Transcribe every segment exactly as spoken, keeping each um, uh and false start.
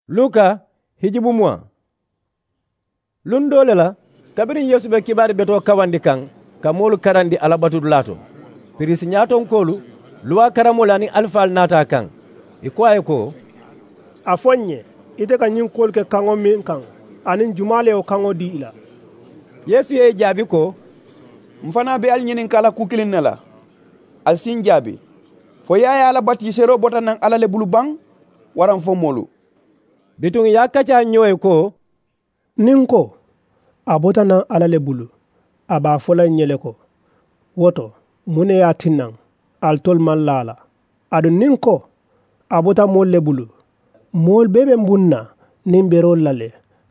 Luka hijibu muwa. Luŋ doo le la, kabiriŋ yeesu be kibaari betoo kawandi kaŋ ka moolu karandi alla batudulaa to, piriisi ñaatonkoolu, luwaa karamoolu aniŋ alifaalu naata a kaŋ. Ì ko a ye ko, a fo ǹ ye, ite ka ñiŋ kuwolu ke kaŋo meŋ kaŋ, aniŋ jumaa le ye wo kaŋo dii i la? Yeesu ye ì jaabi ko, m fanaa be ali ñininkaa la kuu kiliŋ ne la. Ali si ǹ jaabi, fo yaayaa la batiiseroo bota naŋ alla le bulu baŋ, waraŋ fo moolu? Bituŋ ì ye a kaccaa ñoo ye ko, niŋ n ko, a bota naŋ alla le bulu, a be a fo la ǹ ye le ko, wo to, muŋ ne ye a tinnaŋ alitolu maŋ laa a la? Aduŋ niŋ n ko, a bota moolu le bulu, moolu bee be m buŋ na niŋ beroolu la le,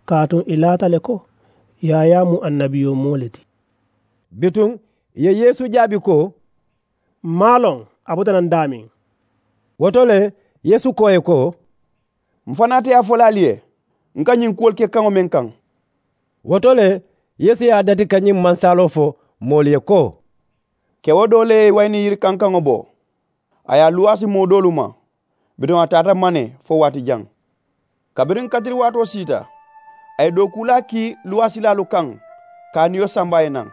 kaatu ì laata le ko yaayaa mu annabiyoomoo le ti. Bituŋ ì ye yeesu jaabi ko, m maŋ a loŋ a bota naŋ daameŋ. Wo to le, yeesu ko ì ye ko, m fanaa te a fo la ali ye, n ka ñiŋ kuwolu ke kaŋo meŋ kaŋ. Wo to le, yeesu ye a dati ka ñiŋ mansaaloo fo moolu ye ko, kewo doo le ye wayini yiri kankaŋo bo, a ye a luwaasi moo doolu ma. Bituŋ a taata mane fo waati jaŋ. Kabiriŋ katiriwaatoo siita, a ye dookuulaa kii luwaasilaalu kaŋ, ka a niyo samba a ye naŋ.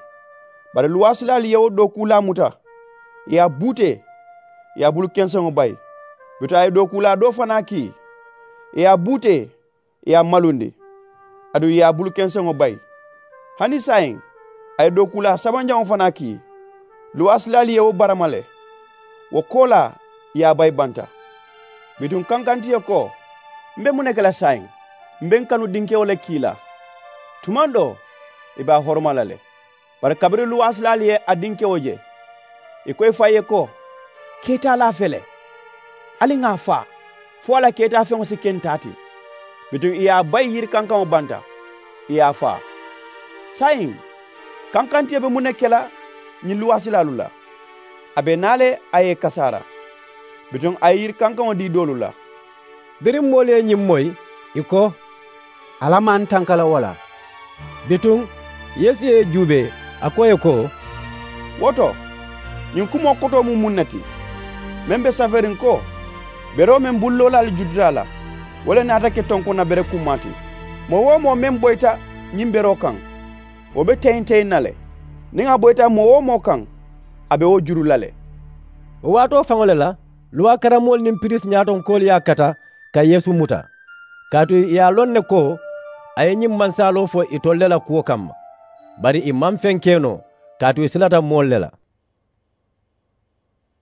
Bari luwaasilaalu ye wo dookuulaa muta, ì ye a buutee, ì ye a bulu kenseŋo bayi. Bituŋ a ye dookuulaa doo fanaa kii, ì ye a buutee, ì ye a malundi, aduŋ ì ye a bulu kenseŋo bayi. Hani saayiŋ, a ye dookuulaa sabanjaŋo fanaa kii. Luwaasilaalu ye wo barama le, wo koolaa ì ye a bayi banta. Bituŋ kankanti ì ye ko, m be muŋ ne ke la saayiŋ? M be n kanu dinkewo le kii la. Tumaŋ doo, ì be a horoma la le. Bari kabiriŋ luwaasilaalu ye a dinkewo je, ì ko ì faŋ ye ko, keetaalaa fele, ali ŋà a faa, fo a la keetaafeŋo si ke ntaa ti. Bituŋ ì ye a bayi yiri kankaŋo banta, ì ye a faa. Saayiŋ, kankantiyo be muŋ ne ke la ñiŋ luwaasilaalu la? A be naa le a ye ì kasaara. Bituŋ a ye yiri kankaŋo dii doolu la. Biriŋ moolu ye ñiŋ moyi, ì ko, alla maŋ tanka la wo la. Bituŋ yeesu ye ì juubee, a ko ì ye ko, wo to, ñiŋ kumoo kotoo mu muŋ ne ti, meŋ be saferiŋ ko, beroo meŋ bulu loolaalu jututa a la, wo le naata ke tonkonna bere kummaa ti. Moo-wo-moo meŋ boyita ñiŋ beroo kaŋ, wo be teyiŋ-teyiŋ na le. Niŋ a boyita moo-wo-moo kaŋ, a be wo juru la le. Wo waatoo faŋo le la, luwaa karamoolu niŋ piriisi ñaatonkoolu ye a kata ka yeesu muta, kaatu ì ye a loŋ ne ko a ye ñiŋ mansaaloo fo itolu le la kuwo kamma. Bari ì maŋ feŋ ke noo, kaatu ì silata moolu le la.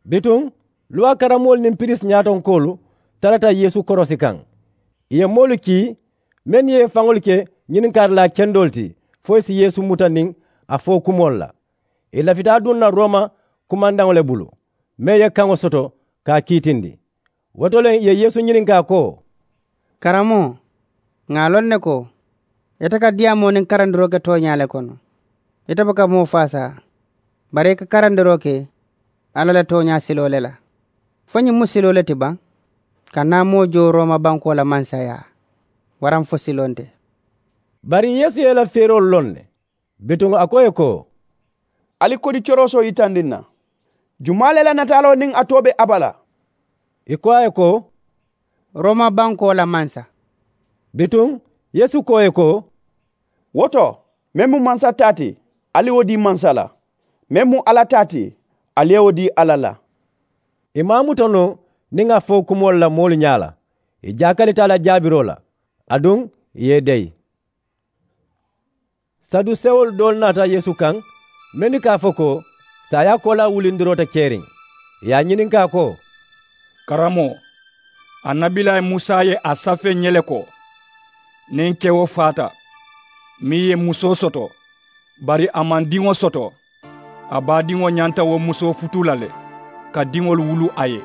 Bituŋ luwaa karamoolu niŋ piriisi ñaatonkoolu tarata yeesu korosi kaŋ. Ì ye moolu kii mennu ye ì faŋolu ke ñininkaarilaa kendoolu ti, fo ì si yeesu muta niŋ a fo kumoolu la. Ì lafita duŋ na rooma kumandaŋo le bulu, meŋ ye kaŋo soto ka a kiitindi. Wo to le ì ye yeesu ñininkaa ko, karamoo, ŋà a loŋ ne ko ite ka diyaamoo niŋ karandiroo ke tooñaa le kono. Ite buka moo faasaa, bari i ka karandiroo ke alla la tooñaa siloo le la. Fo ñiŋ mu siloo le ti baŋ, ka naa moo joo rooma bankoo la mansayaa, waraŋ fo siloo nte? Bari yeesu ye ì la feeroolu loŋ ne. Bituŋ a ko ì ye ko, ali kodi coroosoo yitandi n na, jumaa le la nataaloo niŋ a too be a bala? Ì ko a ye ko, rooma bankoo la mansa. Bituŋ yeesu ko ì ye ko, wo to, meŋ mu mansa taa ti, ali ye wo dii mansa la. Meŋ mu alla taa ti, ali ye wo dii alla la. Ì maŋ a muta noo niŋ a fo kumoolu la moolu ñaa la, ì jaakalita a la jaabiroo la, aduŋ ì ye ì deyi. Sadusewolu doolu naata yeesu kaŋ, mennu ka a fo ko saayaa koolaa wulindiroo te keriŋ. Ì ye a ñininkaa ko, karamoo, annabilaayi musa ye a safee n ye le ko, niŋ kewo faata, meŋ ye musoo soto, bari a maŋ diŋo soto, a baadiŋo ñanta wo musoo futuu la le, ka diŋolu wulu a ye.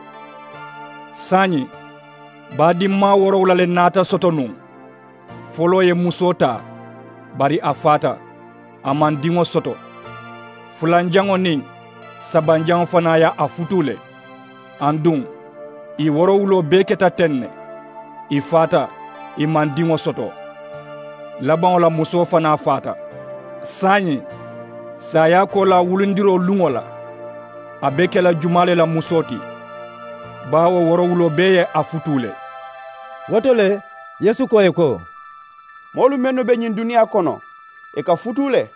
Saayiŋ, baadinmaa woorowula le naata soto nuŋ. Foloo ye musoo taa, bari a faata, a maŋ diŋo soto. Fulanjaŋo niŋ sabanjaŋo fanaa ye a futuu le. Aduŋ ì woorowuloo bee keta teŋ ne, ì faata, ì maŋ diŋo soto. Labaŋo la musoo fanaa faata. Saayiŋ, saayaa koolaa wulindiroo luŋo la, a be ke la jumaa le la musoo ti, baawo woorowuloo bee ye a futuu le. Wo to le, Yeesu ko ì ye ko, moolu mennu be ñiŋ duniyaa kono, ì ka futuu le,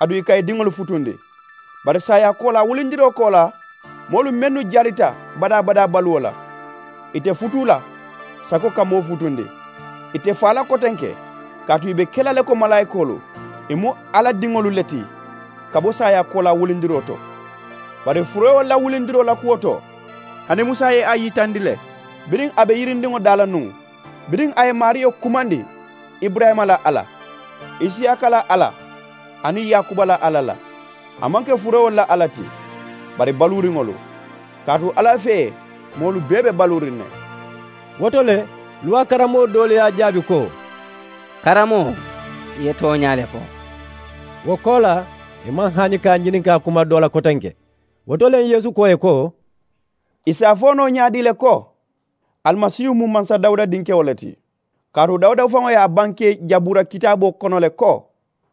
aduŋ ì ka ì diŋolu futundi. Bari saayaa koolaa wulindiroo koolaa, moolu mennu jarita badaa badaa baluwo la, ì te futuu la sako ka moo futundi. Ì te faa la kotenke, kaatu ì be ke la le ko malaayikoolu. Ì mu alla diŋolu le ti ka bo saayaa koolaa wulindiroo to. Bari furewolu la wulindiroo la kuwo to, hani musa ye a yitandi le, biriŋ a be yirindiŋo daa la nuŋ, biriŋ a ye maariyo kumandi, iburayima la alla, isiyaaka la alla, aniŋ yaakuba la alla la. A maŋ ke furewolu la alla ti, bari baluuriŋolu, kaatu alla fee moolu bee be baluuriŋ ne. Wo to le, luwaa karammoo doolu ye a jaabi ko, karamoo, i ye tooñaa le fo. Wo koolaa, ì maŋ hani ka a ñininkaa kuma doo la kotenke. Wo to le yeesu ko ì ye ko, ì si a fo noo ñaadii le ko, alimasiihu mu mansa dawuda dinkewo le ti. Kaatu dawuda faŋo ye a bankee jabuura kitaaboo kono le ko,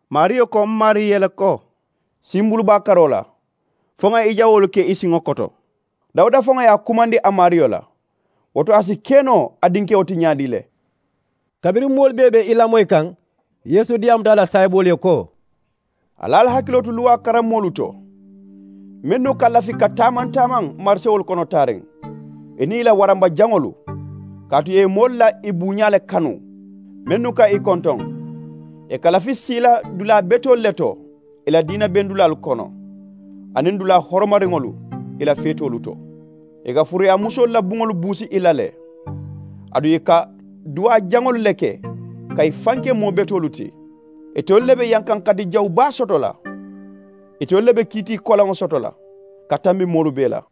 maariyo ko m maarii ye le ko, simbulubaa karoo la, fo ŋa i jawoolu ke i siŋo koto. Dawuda faŋo ye a kumandi a maariyo la. Wo to a si ke noo a dinkewo ti ñaadii le? Kabiriŋ moolu bee be i lamoyi kaŋ, yeesu diyaamuta a la saayiboolu ye ko, ali ali hakiloo tu luwaa karammoolu to, mennu ka lafi ka taamaŋ-taamaŋ marisewolu kono taariŋ, ì niŋ ì la waramba jaŋolu, kaatu ì ye moolu la ì buuñaa le kanu, mennu ka ì kontoŋ. Ì ka lafi siila dulaa betoolu le to ì la diina bendulaalu kono, aniŋ dulaa horomariŋolu ì la feetoolu to. Ì ka furuyaamusoolu la buŋolu buusi ì la le, aduŋ ì ka duwaa jaŋolu le ke ka ì fanke moo betoolu ti. Itolu le be yankaŋ kati jawu baa soto la. Itolu le be kiitii kolaŋo soto la ka tambi moolu bee la.